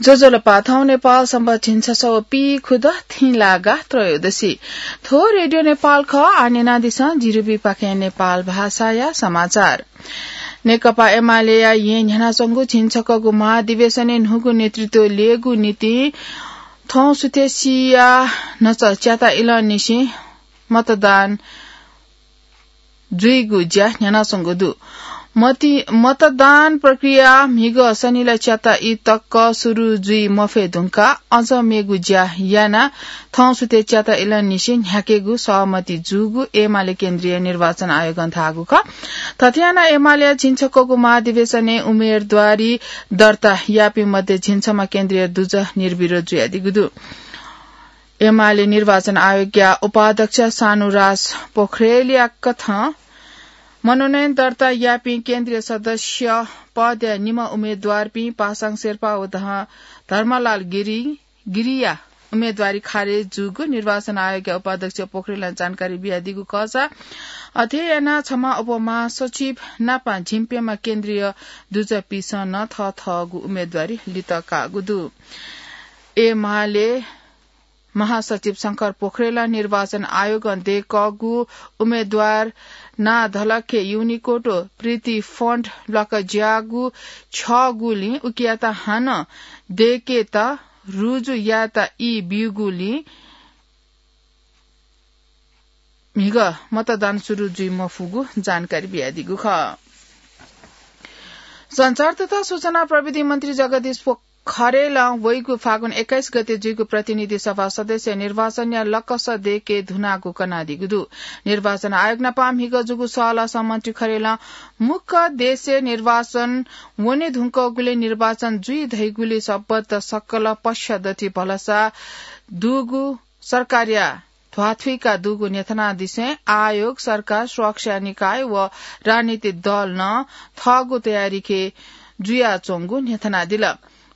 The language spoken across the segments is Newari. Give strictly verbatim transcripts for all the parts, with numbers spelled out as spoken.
ज्वजलपा, थौं नेपाल संवत् झिंछसः व पीखुदँ थिंलागा त्रयोदशी। थ्व रेडियो नेपाल खः। आः न्यनादिसँ जिरिबीपाखें नेपाल भाषाया समाचार। नेकपा एमालेया येँ न्ह्यानाच्वंगु झिंछकःगु महाधिवेशनय् न्हूगु नेतृत्व ल्ययेगु निंतिं थौं सुथसिया न्हचा च्याता इलंनिसें मतदान जुइगु ज्या न्ह्यानाच्वंगु दु। मति-, मतदान प्रक्रिया म्हिगः सनिला च्याता ई तक सुरु जुइ मफये धुंकाः अझ मेगु ज्या यानाः थौं सुथय् च्याता इलंनिसें न्ह्याकेगु सहमति जूगु एमाले केन्द्रीय निर्वाचन आयोगं धाःगु खः। थथे यानाः एमालेया झिंछकःगु महाधिवेशनय् उम्मेदवारी दर्ता याःपिं मध्ये झिंछम्ह केन्द्रीय दुजः निर्विरोध जुयादीगु दु। एमाले निर्वाचन आयोगया उपाध्यक्ष शानुराज पोखरेलया कथं मनोनयन दर्ता याःपिं केन्द्रीय सदस्य पदया निम्ह उम्मेदवारपिं पासाङ शेर्पा व ध-, धर्मलाल गिरी, गिरीया उम्मेदवारी खारेज जूगु निर्वाचन आयोगया उपाध्यक्ष पोखरेलं जानकारी बियादीगु खःसा, अथे यानाः छम्ह उपमहासचिव नापं झिंप्यम्ह केन्द्रीय दुजःपिसं नं थःथःगु उम्मेदवारी लित काःगु दु। एमाले महासचिव शंकर पोखरेलं निर्वाचन आयोगं दय्‌कःगु उम्मेदवार नां धलखे युनिकोड व प्रीति फन्ट ल्वाकज्याःगु छ्यःगुलिं उकियात हानं दय्‌केत रुजु यायेत ई ब्यूगुलिं म्हिगः मतदान सुरु जुइ मफुगु जानकारी बियादीगु खः। सञ्चार तथा सूचना प्रविधि मन्त्री जगदीश पोखरेलं वइगु फागुन एक्काइस गते जुइगु प्रतिनिधि सभा सदस्य निर्वाचनया लकस दय्‌के धुनागु कनादीगु दु। निर्वाचन आयोग नापं म्हिगः जूगु सहलहसं मन्त्री खरेलं मुक्क देशय् निर्वाचन वने धुंकूगुलिं निर्वाचन जुइ धइगुलिं सबत सकल पक्षदथि भलसा दुगु सरकारया ध्वाथुइका दुगु न्ह्यथनादिसें आयोग, सरकार, सुरक्षा निकाय व राजनीतिक दलं थःगु तयारीखे जुयाच्वंगु न्ह्यथनादिल।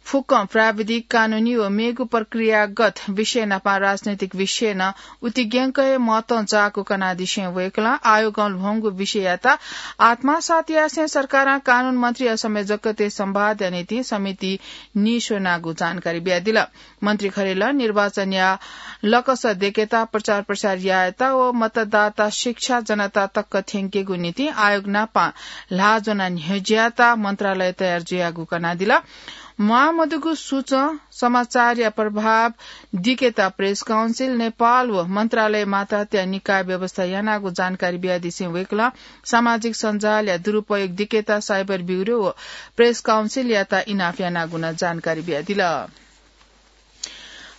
फुक्कं प्राविधिक, कानूनी व मेगु प्रक्रियागत विषय नापं राजनैतिक विषय नं उतिग्यंक हे महत्वं जाःगु कनादिसें वय्‌कलं आयोगं ल्ह्वंगु विषययात आत्मसात यासें सरकारं कानून मन्त्री व संयोजकतय् संवादया निंतिं समिति नीस्वनागु जानकारी बियादिल। मन्त्री खरेलं निर्वाचनया लकस दय्‌केत, प्रचार प्रसार यायेत व मतदाता शिक्षा जनता तक थ्यंकेगु निंतिं आयोग नापं ल्हाः ज्वनाः न्ह्यज्यायेत मन्त्रालय तयार जुयागु कनादिल। म्वाःमदुगु सूचं समाचारया प्रभाव दिकेत प्रेस काउन्सिल नेपाल व मन्त्रालय मातहतया निकाय व्यवस्था यानागु जानकारी बियादिसें वय्‌कलं सामाजिक सञ्जालया दुरुपयोग दिकेत साइबर ब्युरो व प्रेस काउन्सिलयात इनाप यानागु नं जानकारी बियादिल।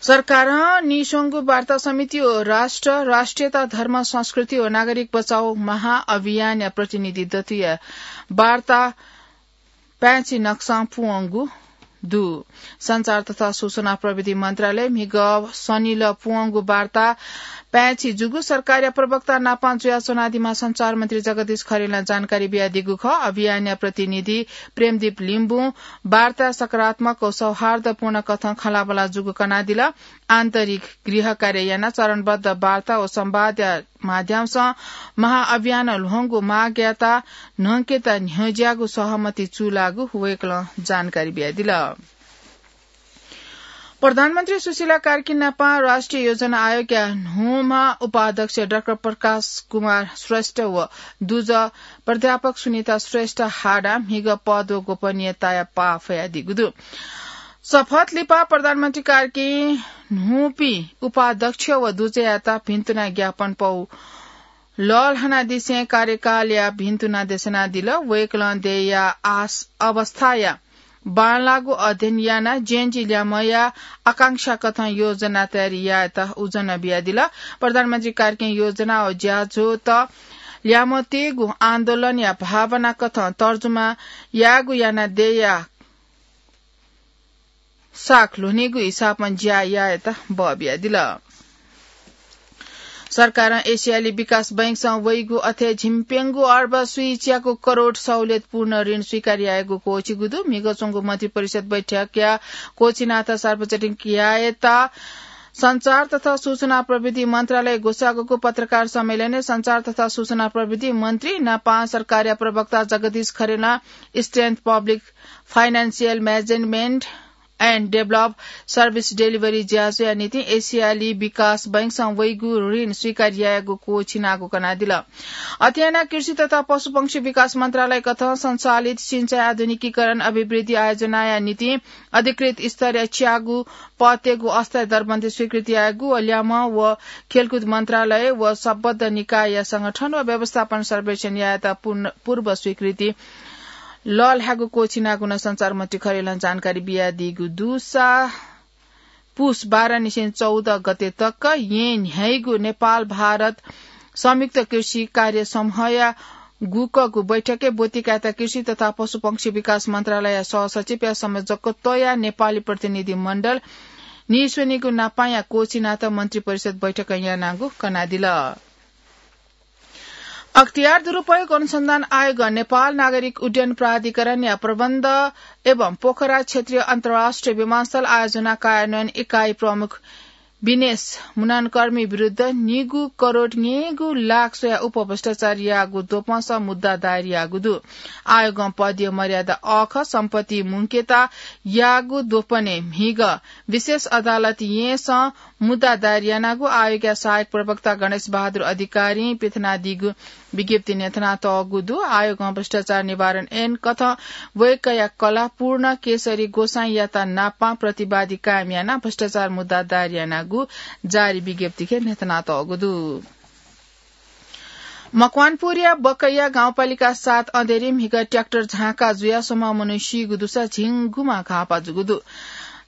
सरकारं नीस्वंगु वार्ता समिति व राष्ट्र, राष्ट्रियता, धर्म, संस्कृति व नागरिक बचाउ महाअभियानया प्रतिनिधि दथुया वार्ता पाय्‌छि नक्सां पूवंगु दु। सञ्चार तथा सूचना प्रविधि मन्त्रालय म्हिगः सनिल पूवंगु वार्ता पाय्‌छि जूगु सरकारया प्रवक्ता नापं जुयाच्वनादीम्ह सञ्चार मन्त्री जगदीश खरेलं जानकारी बियादीगु खः। अभियानया प्रतिनिधि प्रेमदीप लिम्बुं वार्ता सकारात्मक व सौहार्दपूर्ण कथं खँल्हाबल्हा जूगु कनादिल। आन्तरिक गृह कार्य यानाः चरणबद्ध वार्ता व संवादया माध्यमसं महाअभियानं ल्ह्वंगु मागयात न्हंकेत न्ह्यज्याःगु सहमति चूलाःगु वय्‌कलं जानकारी बियादिल। प्रधानमन्त्री सुशीला कार्की नापं राष्ट्रिय योजना आयोगया न्हूम्ह उपाध्यक्ष डाक्टर प्रकाश कुमार श्रेष्ठ व दुजः प्राध्यापक सुनिता श्रेष्ठ हाडां म्हिगः पद व गोपनीयताया पाः फयादीगु दु। शपथ लिपा प्रधानमन्त्री कार्कीं न्हूपिं उपाध्यक्ष व दुजःयात भिन्तुना ज्ञापन पौ लःल्हानादिसें कार्यकालया भिन्तुना देछाना दिल। वय्‌कलं देय्‌या आस-, अवस्थाया बांलाःगु अध्ययन यानाः जेएनजी ल्यामया आकांक्षा कथं योजना तयारी यायेत उजं बियादिल। प्रधानमन्त्री कार्कीं योजना व ज्याझ्वःत ल्यामतय्‌गु आन्दोलनया भावना कथं तर्जुमा यायेगु यानाः देय्‌या साख ल्ह्वनेगु हिसाबं ज्या यायेत बः बियादिल। सरकारं एसियाली विकास बैंकसं वइगु अथे झिंप्यंगू अर्ब स्वीच्याकू करोड सहुलियतपूर्ण ऋण स्वीकार यायेगु क्वःछिगु दु। म्हिगः च्वंगु मन्त्री परिषद बैठकया क्वःछिनाथ सार्वजनिक यायेत सञ्चार तथा सूचना प्रविधि मन्त्रालय ग्वसाःगु पत्रकार सम्मेलनय् सञ्चार तथा सूचना प्रविधि मन्त्री नापं सरकारया प्रवक्ता जगदीश खरेलं Strength Public Financial Management and Develop Service Delivery ज्याझ्वःया निंतिं एसियाली विकास बैंकसं वइगु ऋण स्वीकार यायेगु क्वःछिनागु कनादिल। अथे यानाः कृषि तथा पशुपंक्षी विकास मन्त्रालय कथं सञ्चालित सिंचाइ आधुनिकीकरण अभिवृद्धि आयोजनाया निंतिं अधिकृत स्तरया च्यागू पदयागु अस्थायी दरबन्दी स्वीकृति यायेगु व ल्याम्ह व खेलकुद मन्त्रालय व सम्बद्ध निकायया संगठन व व्यवस्थापन सर्वेक्षण यायेत पूर्ण, पूर्व स्वीकृति लःल्हायेगु क्वःछिनागु नं सञ्चार मन्त्री खरेलं जानकारी बियादीगु दुसा पुस बाह्र निसें चौध गते तक येँ न्ह्याइगु नेपाल भारत संयुक्त कृषि कार्य समूहया गुकगु बैठकय् ब्वतिकायेत कृषि तथा पशुपंक्षी विकास मन्त्रालयया सहसचिवया संयोजकत्वया नेपाली प्रतिनिधि मण्डल नीस्वनीगु नापांया क्वःछिनात मन्त्री परिषद बैठकं यानागु कनादिल। अख्तियार दुरुपयोग अनुसन्धान आयोग नेपाल नागरिक उड्डयन प्राधिकरणया प्रबन्ध एवं पोखरा क्षेत्रीय अन्तर्राष्ट्रिय विमानस्थल आयोजना कार्यान्वयन इकाइ प्रमुख विनेश मुनानकर्मी विरुद्ध निगू करोड न्यय्गू लाख स्वया उपभ्रष्टाचार याःगु द्वपंसं मुद्दा दायर याःगु दु। आयोगं पदीय मर्यादा अःखः सम्पत्ति मुंकेत याःगु द्वपनय् म्हिगः विशेष अदालत येँसं मुद्दा दायर यानागु आयोगया सहायक प्रवक्ता गणेश बहादुर अधिकारीं पिथनादीगु विज्ञप्ति न्ह्यथनातःगु दु। आयोगं भ्रष्टाचार निवारण ऐन कथं वय्कःया कलाः पूर्ण केशरी गोसाइँयात नापां प्रतिवादी कायम यानाः भ्रष्टाचार मुद्दा दायर यानागु जारी विज्ञप्तिके न्ह्यथनातःगु दु। मकवानपुरया बकैया गाउँपालिका सात अँधेरी म्हिगः ट्र्याक्टर झांका जुयाः स्वम्ह मनू सीगु दुसा झिंगुम्ह घाःपा जूगु दु।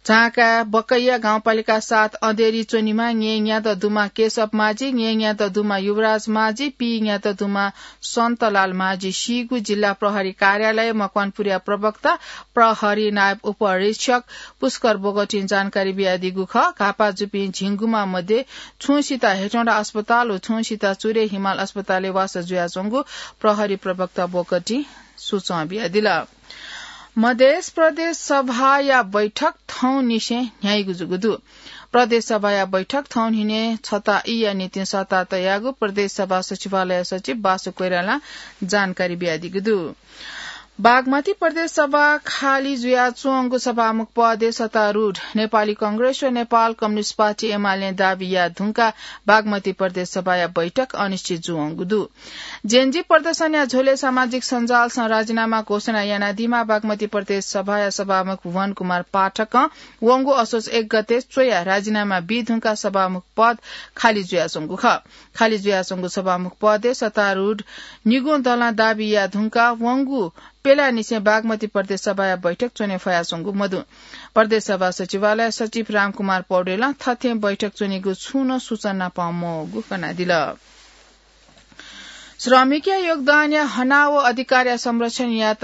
झांका बकैया गाउँपालिका सात अँधेरी च्वनिम्ह न्यय्न्यादँ दुम्ह केशव माझी, न्यय्न्यादँ दुम्ह युवराज माझी, पीन्यादँ दुम्ह सन्तलाल माझी सीगु जिल्ला प्रहरी कार्यालय मकवानपुरया प्रवक्ता प्रहरी नायब उपरीक्षक पुष्कर बोगटीं जानकारी बियादीगु खः। घाःपा जूपिं झिंगुम्ह मध्ये छुंसित हेटौंडा अस्पताल व छुंसित चुरे हिमाल अस्पतालय् वासः जुयाच्वंगु प्रहरी प्रवक्ता बोगटीं सूचना बियादिल। मधेस प्रदेश सभाया बैठक थौंनिसें न्ह्याइगु जूगु दु। प्रदेश सभाया बैठक थौंनिसें छता ईया निंतिं सःता तयागु प्रदेश सभा सचिवालय सचिव बासु कोइरालां जानकारी बियादीगु दु। बागमती प्रदेश सभा खाली जुयाच्वंगु सभामुख पदय् सत्तारूढ नेपाली कांग्रेस व नेपाल कम्युनिस्ट पार्टी एमालें दाबी याये धुंकाः बागमती प्रदेश सभाया बैठक अनिश्चित जुयाच्वंगु दु। जेनजी प्रदर्शनया झ्वलय् सामाजिक सञ्जालसं राजीनामा घोषणा यानादीम्ह बागमती प्रदेश सभाया सभामुख भुवन कुमार पाठकं वंगु असोज एक गते च्वयाः राजीनामा बी धुंकाः सभामुख पद खाली जुयाच्वंगु खः। खाली जुयाच्वंगु सभामुख पदय् सत्तारूढ निगुं दलं दाबी याये धुंकाः वंगु प्यलानिसें बागमती प्रदेश सभाया बैठक च्वने फयाच्वंगु मदु। प्रदेश सभा सचिवालय सचिव रामकुमार पौडेलं थथें बैठक च्वनीगु छुं नं सूचना नापं मवःगु कनादिल। श्रमिकया योगदानया हना व अधिकारया संरक्षणयात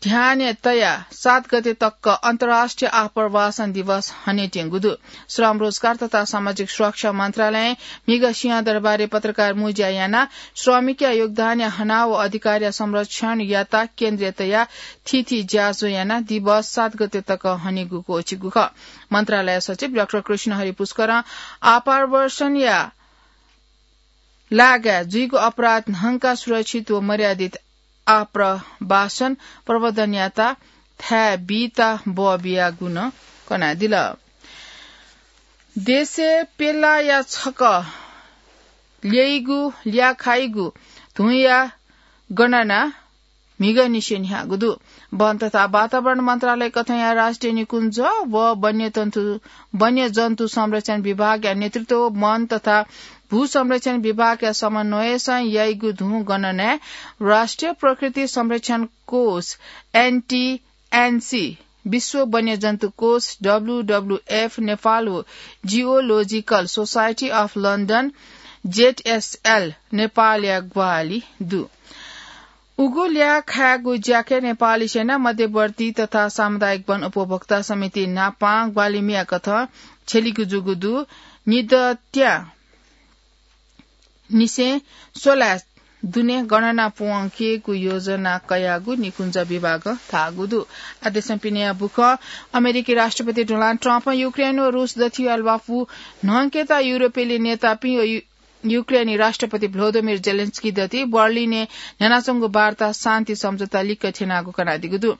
ध्यानय् तयाः सात गते तक अन्तर्राष्ट्रिय आप्रवासन दिवस हनेत्यंगु दु। श्रम, रोजगार तथा सामाजिक सुरक्षा मन्त्रालयं म्हिगः सिंहदरबारय् पत्रकार मुँज्या यानाः श्रमिकया योगदानया हना व अधिकारया संरक्षणयात केन्द्रय् तयाः थीथी ज्याझ्वः यानाः दिवस सात गते तक हनेगु क्वःछिगु खः। मन्त्रालय सचिव डाक्टर कृष्णहरि पुष्करं आप्रवासनया लागाय् जुइगु अपराध न्हंकाः सुरक्षित व मर्यादित आप्रवासन प्रवर्धनयात थाय् बीत बः बियागु नं कनादिल। देशय् प्यलाया छकः ल्याइगु, ल्याखाइगु धुंया गणना म्हिगःनिसें न्ह्याःगु दु। वन तथा वातावरण मन्त्रालय कथंया राष्ट्रिय निकुञ्ज व वन्यजन्तु, वन्यजन्तु संरक्षण विभागया नेतृत्व वन तथा भू संरक्षण विभागया समन्वयसं याइगु धुं गणनाय् राष्ट्रिय प्रकृति संरक्षण कोष, एनटीएनसी, विश्व वन्यजन्तु कोष, डब्ल्यूडब्ल्यूएफ नेपाल व जियोलोजिकल सोसाइटी अफ लन्डन, जेटएसएल, नेपालया ग्वाहालि दु। उगु ल्याखायेगु ज्याखँय् नेपाली सेना, मध्यवर्ती तथा सामुदायिक वन उपभोक्ता समिति नापां ग्वाहालि मियाकथं छ्यलीगु जूगु दु। निदँत्या निसें स्वलाय् दुने गणना प्वंकेगु योजना कयागु निकुञ्ज विभागं धाःगु दु। आदेशं पिनेया बुखं अमेरिकी राष्ट्रपति डोनाल्ड ट्रम्पं युक्रेन व रूस दथुइ ल्वापु न्हंकेत युरोपेली नेतापिं व यु-, युक्रेनी राष्ट्रपति भ्लोदिमिर जेलेन्स्की दथुइ बर्लिनय् न्ह्यानाच्वंगु वार्ता शान्ति सम्झौता लिक्क थ्यनागु कनादीगु दु।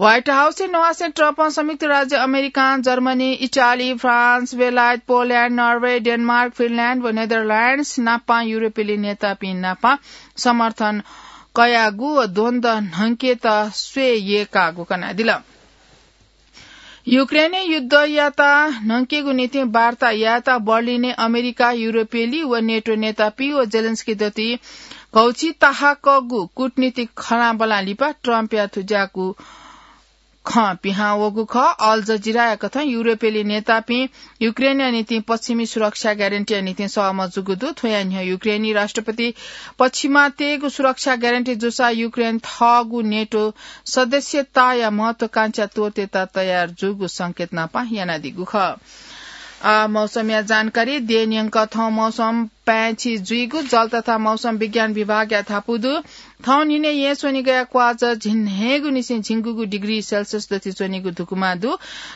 White House-य् नवासें ट्रम्पं संयुक्त राज्य अमेरिकां जर्मनी, इटाली, फ्रान्स, बेलायत, पोल्याण्ड, नर्वे, डेनमार्क, फिनल्याण्ड व नेदरल्याण्ड्स नापां युरोपेली नेतापिं नापां समर्थन कयागु व द्वन्द्व न्हंकेत स्वये यय्कागु कनादिल। युक्रेनय् युद्धयात न्हंकेगु निंतिं वार्ता यायेत बर्लिनय् अमेरिका, युरोपेली व नेटो नेतापिं व जेलेन्स्की दथुइ घौछि ताहाकःगु कूटनीतिक खँल्हाबल्हा लिपा ट्रम्पया थुज्याःगु खँ पिहां वःगु खः। अल जजिराया कथं युरोपेली नेतापिं युक्रेनया निंतिं पश्चिमी सुरक्षा ग्यारेन्टीया निंतिं सहमत जूगु दु। थ्वया न्ह्यः युक्रेनी राष्ट्रपति पश्चिमात्यय्गु सुरक्षा ग्यारेन्टी जूसा युक्रेन थःगु नेटो सदस्यताया महत्वाकांक्षा त्वःतेत तयार जूगु संकेत नापं यानादीगु खः। आ, मौसमया जानकारी। देय् न्यंक थौं मौसम पाय्छि जुइगु जल तथा मौसम विज्ञान विभागया धापू दु। थौं न्हिनय् येँ स्वनिगया क्वाःचा झिंन्हय्गुनिसें झिंगुगु डिग्री सेल्सियस दथुइ च्वनीगु धुकुमा दु।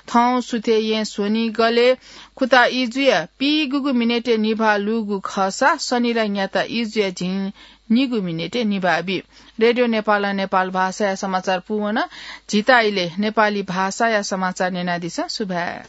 थौं सुथय् येँ स्वनिगलय् खुता इजुया पीगुगु मिनेटय् निभाः लूगु खःसा सनिला न्याता इजुया झिंनिगू मिनेटय् निभाः बी। रेडियो नेपालं नेपाल भाषाया समाचार पूवन। झीत इलय् नेपाली भाषाया समाचार न्यनादिसँ। सुभाय्।